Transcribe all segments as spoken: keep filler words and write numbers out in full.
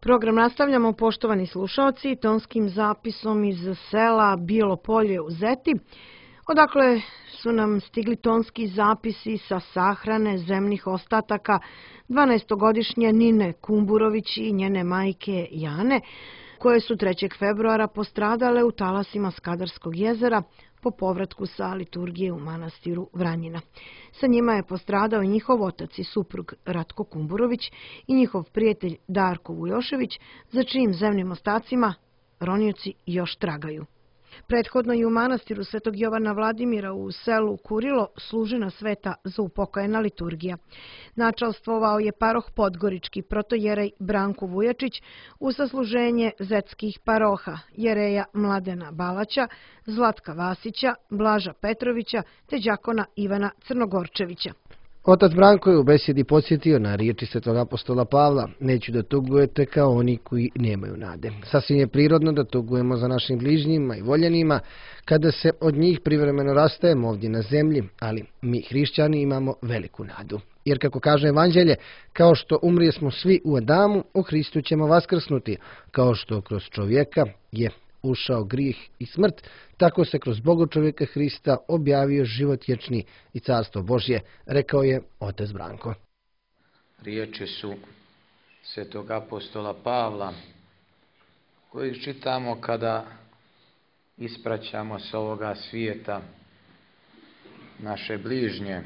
Program nastavljamo, poštovani slušalci, tonskim zapisom iz sela Bilo Polje u Zeti, odakle su nam stigli tonski zapisi sa sahrane zemnih ostataka dvanaestogodišnje Nine Kumburović i njene majke Jane, koje su trećeg februara postradale u talasima Skadarskog jezera po povratku sa liturgije u manastiru Vranjina. Sa njima je postradao njihov otac i suprug Ratko Kumburović i njihov prijatelj Darko Vujošević, za čijim zemnim ostacima ronioci još tragaju. Prethodno i u manastiru Svetog Jovana Vladimira u selu Kurilo služena sveta za upokojena liturgija. Načalstvovao je paroh Podgorički protojerej Branko Vujačić u sasluženje zetskih paroha jereja Mladena Balaća, Zlatka Vasića, Blaža Petrovića te đakona Ivana Crnogorčevića. Otac Branko je u besjedi podsjetio na riječi svetog apostola Pavla: neću da tugujete kao oni koji nemaju nade. Sasvim je prirodno da tugujemo za našim bližnjima i voljenima kada se od njih privremeno rastajemo ovdje na zemlji, ali mi hrišćani imamo veliku nadu. Jer kako kaže Evanđelje, kao što umrijesmo svi u Adamu, u Hristu ćemo vaskrsnuti. Kao što kroz čovjeka je ušao grijeh i smrt, tako se kroz Boga čovjeka Hrista objavio život vječni i carstvo Božje, rekao je otac Branko. Riječi su svetog apostola Pavla, koji čitamo kada ispraćamo s ovoga svijeta naše bližnje.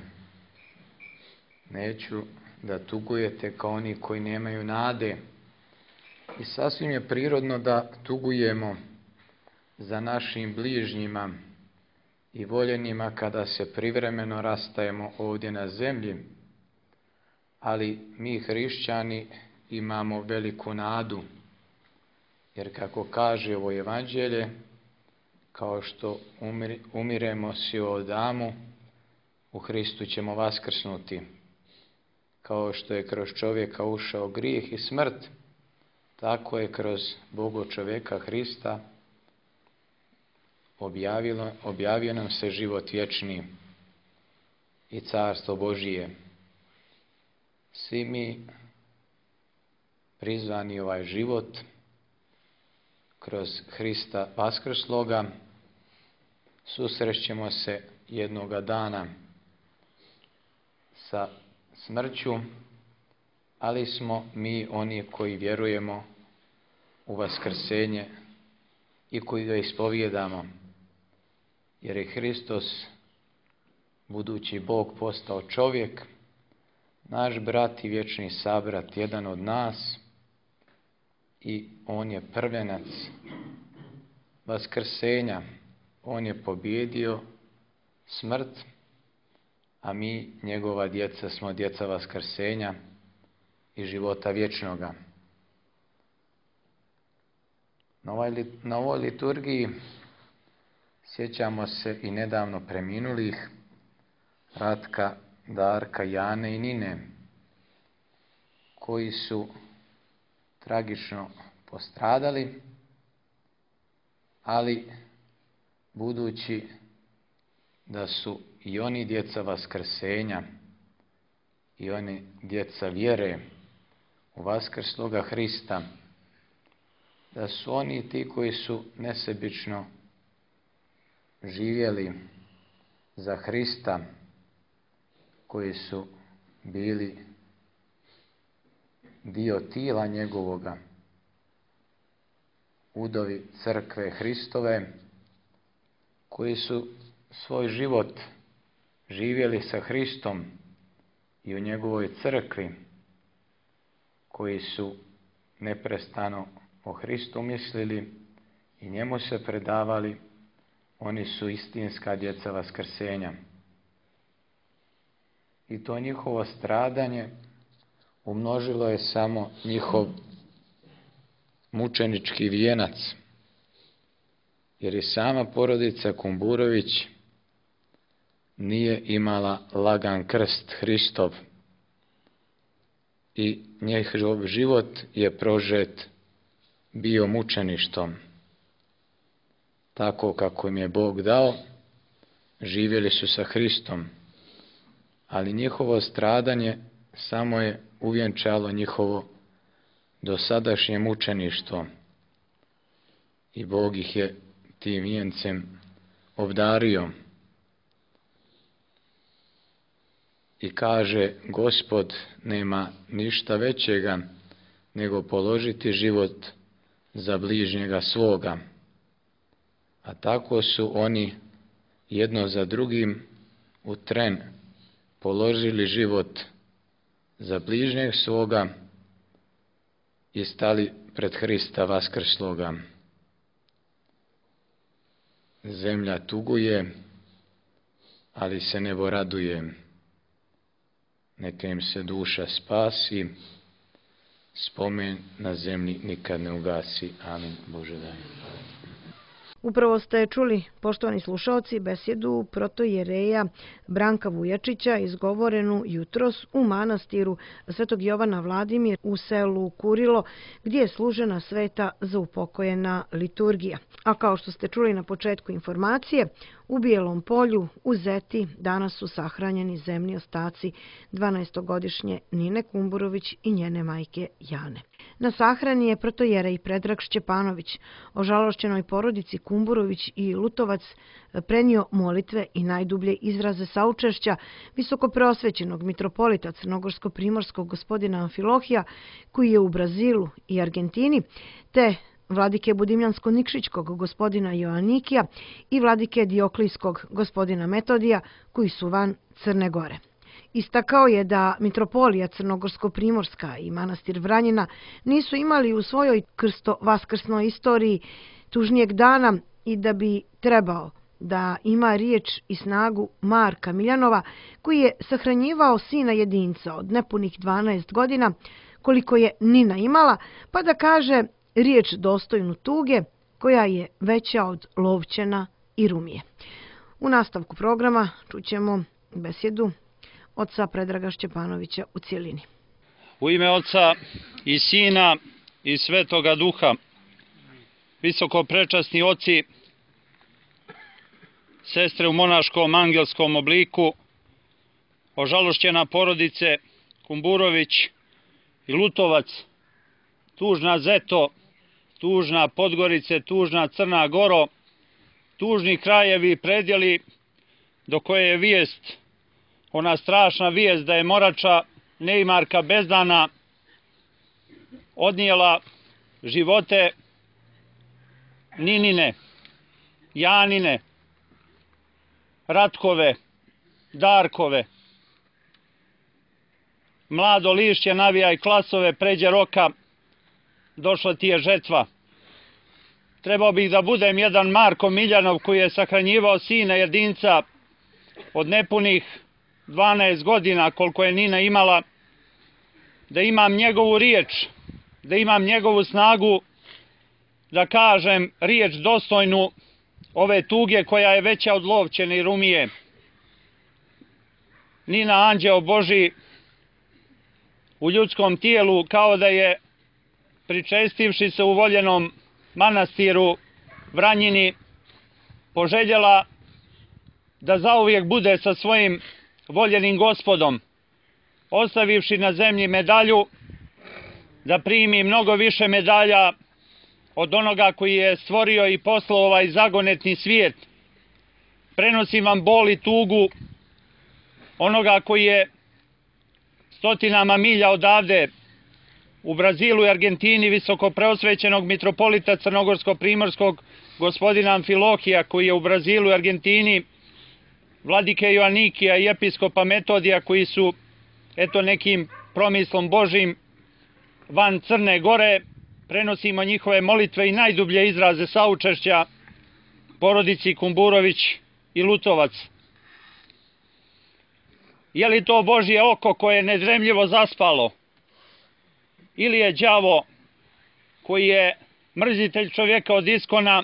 Neću da tugujete kao oni koji nemaju nade. I sasvim je prirodno da tugujemo za našim bližnjima i voljenima kada se privremeno rastajemo ovdje na zemlji, ali mi hrišćani imamo veliku nadu, jer kako kaže ovo Evanđelje, kao što umir, umiremo svi u Adamu, u Hristu ćemo vaskrsnuti. Kao što je kroz čovjeka ušao grijeh i smrt, tako je kroz Boga čovjeka Hrista objavilo, objavio nam se život vječni i carstvo Božije. Svi mi prizvani ovaj život kroz Hrista vaskrsloga susrećemo se jednoga dana sa smrću, ali smo mi oni koji vjerujemo u vaskrsenje i koji ga ispovijedamo, jer je Hristos, budući Bog, postao čovjek, naš brat i vječni sabrat, jedan od nas, i on je prvenac vaskrsenja. On je pobjedio smrt, a mi, njegova djeca, smo djeca vaskrsenja i života vječnoga. Na ovoj, na ovoj liturgiji sjećamo se i nedavno preminulih Ratka, Darka, Jane i Nine, koji su tragično postradali, ali budući da su i oni djeca vaskrsenja i oni djeca vjere u vaskrsloga Hrista, da su oni ti koji su nesebično živjeli za Hrista, koji su bili dio tijela njegovoga, udovi crkve Hristove, koji su svoj život živjeli sa Hristom i u njegovoj crkvi, koji su neprestano o Hristu mislili i njemu se predavali, oni su istinska djeca vaskrsenja. I to njihovo stradanje umnožilo je samo njihov mučenički vijenac, jer i sama porodica Kumburović nije imala lagan krst Hristov i njihov život je prožet bio mučeništvom. Tako kako im je Bog dao, živjeli su sa Hristom, ali njihovo stradanje samo je uvjenčalo njihovo dosadašnje mučeništvo i Bog ih je tim vijencem obdario. I kaže, Gospod nema ništa većega nego položiti život za bližnjega svoga. A tako su oni jedno za drugim u tren položili život za bližnjeg svoga i stali pred Hrista vaskrsloga. Zemlja tuguje, ali se nebo raduje. Neka im se duša spasi, spomen na zemlji nikad ne ugasi. Amin. Bože daj. Upravo ste čuli, poštovani slušaoci, besjedu protojereja Branka Vujačića izgovorenu jutros u manastiru Svetog Jovana Vladimir u selu Kurilo, gdje je služena sveta za upokojena liturgija. A kao što ste čuli na početku informacije, u Bijelom Polju, u Zeti, danas su sahranjeni zemni ostaci dvanaestogodišnje Nine Kumburović i njene majke Jane. Na sahrani je protojerej Predrag Šćepanović, ožalošćenoj porodici Kumburović i Lutovac, prenio molitve i najdublje izraze saučešća visokopreosvećenog mitropolita crnogorsko-primorskog gospodina Amfilohija, koji je u Brazilu i Argentini, te vladike Budimljansko-Nikšićkog gospodina Joanikija i vladike Dioklijskog gospodina Metodija, koji su van Crne Gore. Istakao je da mitropolija Crnogorsko-Primorska i manastir Vranjina nisu imali u svojoj krsto-vaskrsnoj istoriji tužnijeg dana i da bi trebao da ima riječ i snagu Marka Miljanova, koji je sahranjivao sina jedinca od nepunih dvanaest godina, koliko je Nina imala, pa da kaže riječ dostojnu tuge, koja je veća od Lovćena i Rumije. U nastavku programa čućemo besjedu oca Predraga Šćepanovića u cijelini. U ime Oca i Sina i Svetoga Duha, visokoprečasni oci, sestre u monaškom angelskom obliku, ožalošćena porodice Kumburović i Lutovac, tužna Zeto, tužna Podgorice, tužna Crna Goro, tužni krajevi i predjeli do koje je vijest, ona strašna vijest da je Morača Neimarka Bezdana odnijela živote Ninine, Janine, Ratkove, Darkove. Mlado lišće navijaj klasove, pređe roka, došla ti je žetva. Trebao bih da budem jedan Marko Miljanov koji je sahranjivao sina jedinca od nepunih dvanaest godina koliko je Nina imala, da imam njegovu riječ, da imam njegovu snagu, da kažem riječ dostojnu ove tuge koja je veća od Lovćene i Rumije. Nina, anđeo Boži, u ljudskom tijelu, kao da je pričestivši se u voljenom manastiru Vranjini, poželjela da zauvijek bude sa svojim voljenim Gospodom, ostavivši na zemlji medalju, da primi mnogo više medalja od onoga koji je stvorio i poslao ovaj zagonetni svijet. Prenosim vam bol i tugu onoga koji je stotinama milja odavde u Brazilu i Argentini visokopreosvećenog mitropolita crnogorsko-primorskog gospodina Amfilohija, koji je u Brazilu i Argentini, vladike Joanikija i episkopa Metodija, koji su eto nekim promislom Božim van Crne Gore. Prenosimo njihove molitve i najdublje izraze saučešća porodici Kumburović i Lutovac. Je li to Božje oko koje je nedremljivo zaspalo? Ili je đavo koji je mrzitelj čovjeka od iskona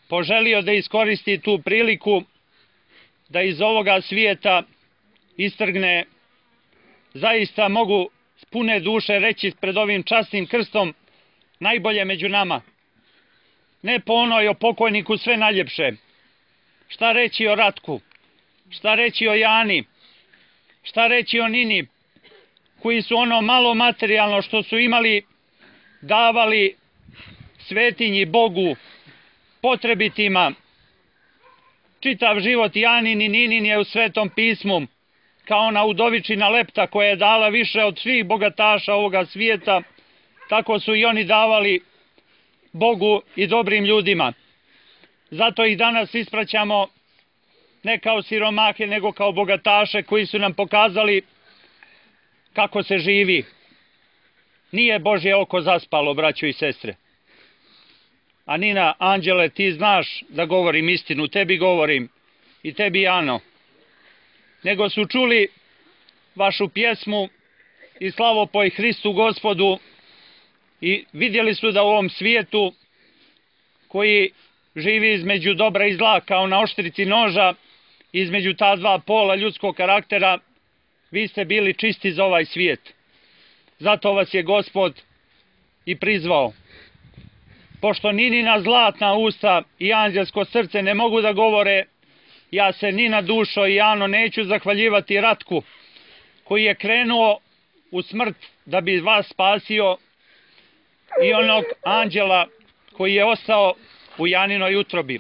poželio da iskoristi tu priliku da iz ovoga svijeta istrgne, zaista mogu s pune duše reći pred ovim časnim krstom, najbolje među nama. Ne po onoj o pokojniku sve najljepše. Šta reći o Ratku? Šta reći o Jani? Šta reći o Nini? Koji su ono malo materijalno što su imali davali svetinji Bogu, potrebitima. Čitav život Janin i Ninin je u Svetom pismu, kao ona udovičina Lepta koja je dala više od svih bogataša ovoga svijeta, tako su i oni davali Bogu i dobrim ljudima. Zato ih danas ispraćamo ne kao siromahe, nego kao bogataše koji su nam pokazali kako se živi. Nije Božje oko zaspalo, braćo i sestre. A Nina, Anđele, ti znaš da govorim istinu, tebi govorim i tebi Ano. Nego su čuli vašu pjesmu i slavopoj Hristu Gospodu i vidjeli su da u ovom svijetu koji živi između dobra i zla kao na oštrici noža, između ta dva pola ljudskog karaktera, vi ste bili čisti za ovaj svijet. Zato vas je Gospod i prizvao. Pošto Ninina zlatna usta i anđelsko srce ne mogu da govore, ja se ni na dušo i Ano neću zahvaljivati Ratku, koji je krenuo u smrt da bi vas spasio, i onog anđela koji je ostao u Janinoj utrobi.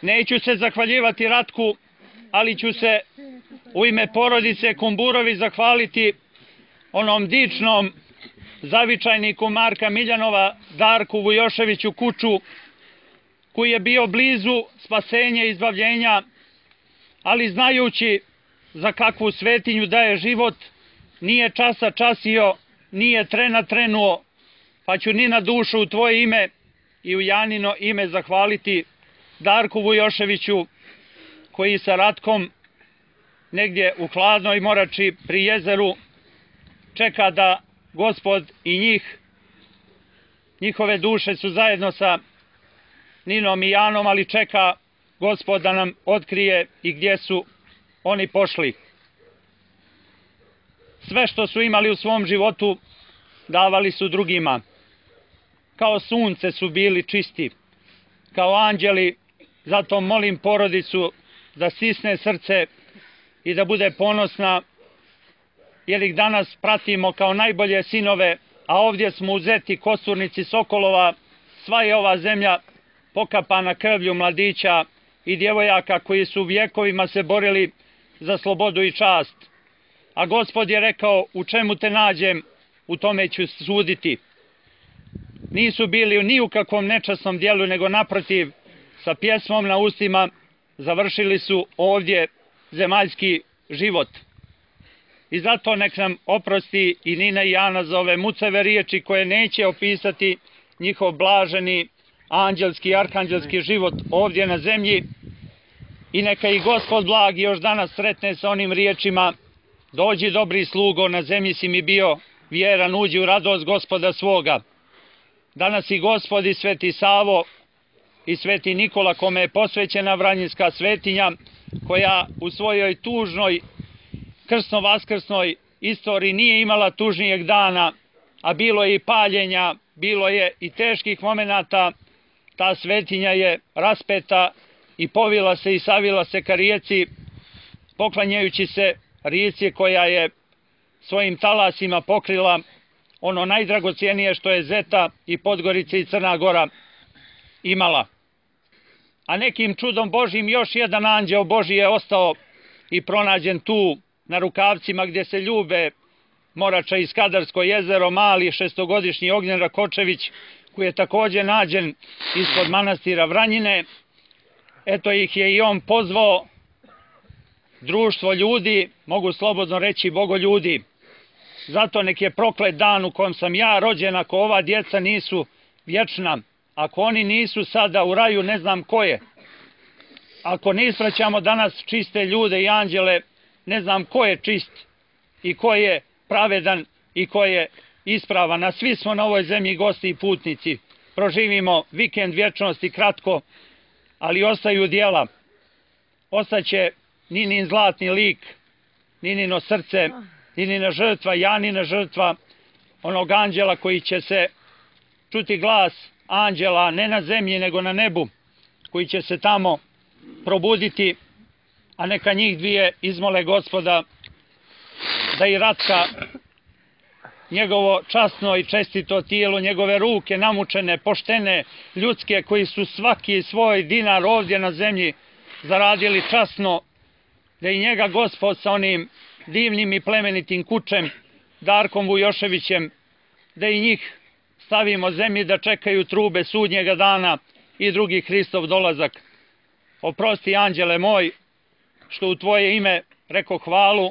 Neću se zahvaljivati Ratku, ali ću se u ime porodice Kumburovi zahvaliti onom dičnom zavičajniku Marka Miljanova, Darku Vujoševiću Kuču, koji je bio blizu spasenja i izbavljenja, ali znajući za kakvu svetinju daje život, nije časa časio, nije trena trenuo, pa ću ni na dušu u tvoje ime i u Janino ime zahvaliti Darku Vujoševiću, koji sa Ratkom negdje u hladnoj morači pri jezeru čeka da Gospod i njih, njihove duše su zajedno sa Ninom i Janom, ali čeka Gospod da nam otkrije i gdje su oni pošli. Sve što su imali u svom životu davali su drugima. Kao sunce su bili čisti, kao anđeli. Zato molim porodicu da stisne srce i da bude ponosna, jer ih danas pratimo kao najbolje sinove, a ovdje smo uzeti kosturnici Sokolova. Sva je ova zemlja pokapana krvlju mladića i djevojaka koji su vjekovima se borili za slobodu i čast. A Gospod je rekao, u čemu te nađem, u tome ću suditi. Nisu bili ni u kakvom nečasnom dijelu, nego naprotiv, sa pjesmom na ustima završili su ovdje zemaljski život. I zato nek nam oprosti i Nina i Ana za ove mucave riječi koje neće opisati njihov blaženi anđelski i arhanđelski život ovdje na zemlji. I neka i Gospod blagi još danas sretne sa onim riječima: dođi dobri slugo, na zemlji si mi bio vjeran, uđi u radost Gospoda svoga. Danas i Gospod i Sveti Savo i Sveti Nikola, kome je posvećena Vranjinska svetinja, koja u svojoj tužnoj krstno-vaskrsnoj istoriji nije imala tužnijeg dana, a bilo je i paljenja, bilo je i teških momenata, ta svetinja je raspeta i povila se i savila se ka rijeci, poklanjajući se rijeci koja je svojim talasima pokrila ono najdragocijenije što je Zeta i Podgorica i Crna Gora imala. A nekim čudom Božjim još jedan anđeo Božji je ostao i pronađen tu na rukavcima gdje se ljube Morača i Skadarsko jezero, mali šestogodišnji Ognjen Rakočević, koji je također nađen ispod manastira Vranjine. Eto ih je i on pozvao, društvo ljudi, mogu slobodno reći bogoljudi. Zato nek je proklet dan u kom sam ja rođen, ako ova djeca nisu vječna, ako oni nisu sada u raju, ne znam ko je. Ako ne ispraćamo danas čiste ljude i anđele, ne znam ko je čist i ko je pravedan i ko je ispravan. A svi smo na ovoj zemlji gosti i putnici. Proživimo vikend vječnosti kratko, ali ostaju djela. Ostaće Ninin zlatni lik, Ninino srce, Ninina žrtva, Janina žrtva, onog anđela koji će se čuti glas anđela ne na zemlji nego na nebu, koji će se tamo probuditi, a neka njih dvije izmole Gospoda da i Ratka njegovo časno i čestito tijelo, njegove ruke namučene, poštene, ljudske, koji su svaki svoj dinar ovdje na zemlji zaradili časno, da i njega Gospod sa onim divnim i plemenitim kučem, Darkom Vujoševićem, da i njih stavimo zemlji da čekaju trube sudnjega dana i drugi Hristov dolazak. Oprosti, anđele moj, što u tvoje ime reko hvalu,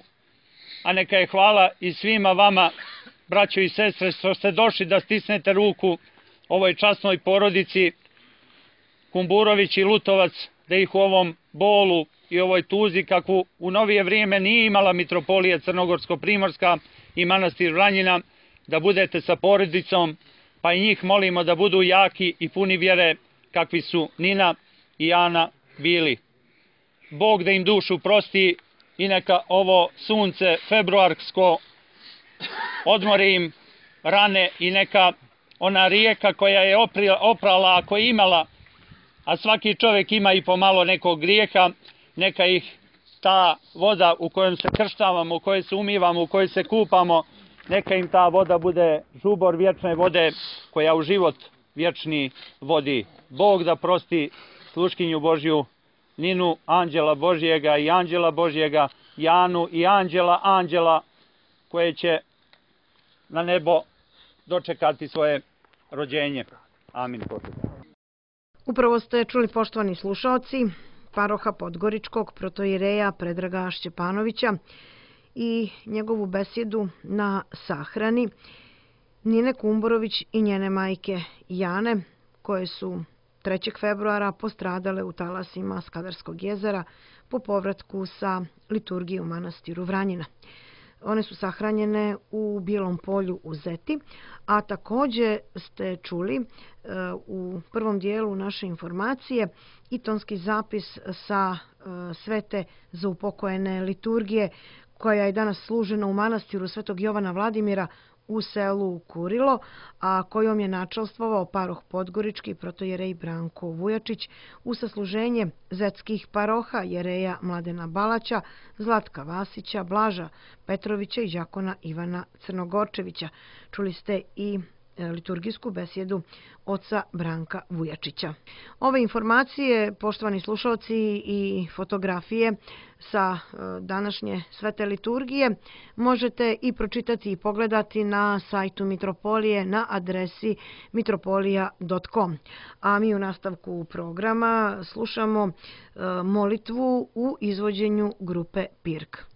a neka je hvala i svima vama, braćo i sestre, što ste došli da stisnete ruku ovoj časnoj porodici Kumburović i Lutovac, da ih u ovom bolu i ovoj tuzi, kakvu u novije vrijeme nije imala mitropolija Crnogorsko-Primorska i manastir Vranjina, da budete sa porodicom, pa i njih molimo da budu jaki i puni vjere, kakvi su Nina i Ana bili. Bog da im dušu prosti i neka ovo sunce februarsko odmori im rane i neka ona rijeka koja je oprala, ako je imala, a svaki čovjek ima i pomalo nekog grijeha, neka ih ta voda u kojoj se krštavamo, u kojoj se umivamo, u kojoj se kupamo, neka im ta voda bude žubor vječne vode koja u život vječni vodi. Bog da prosti sluškinju Božju, Ninu, anđela Božjega i anđela Božjega, Janu i anđela anđela, koje će na nebo dočekati svoje rođenje. Amin. Upravo ste čuli, poštovani slušaoci, paroha Podgoričkog protoireja Predraga Šćepanovića i njegovu besjedu na sahrani Nine Kumburović i njene majke Jane, koje su trećeg februara postradale u talasima Skadarskog jezera po povratku sa liturgije u manastiru Vranjina. One su sahranjene u Bijelom polju u Zeti, a također ste čuli u prvom dijelu naše informacije i tonski zapis sa svete za upokojene liturgije koja je danas služena u manastiru Svetog Jovana Vladimira u selu Kurilo, a kojom je načelstvovao paroh Podgorički protojerej Branko Vujačić u sasluženje zetskih paroha jereja Mladena Balaća, Zlatka Vasića, Blaža Petrovića i đakona Ivana Crnogorčevića. Čuli ste i liturgijsku besjedu oca Branka Vujačića. Ove informacije, poštovani slušalci, i fotografije sa današnje svete liturgije možete i pročitati i pogledati na sajtu Mitropolije na adresi mitropolija dot com. A mi u nastavku programa slušamo molitvu u izvođenju grupe Pirk.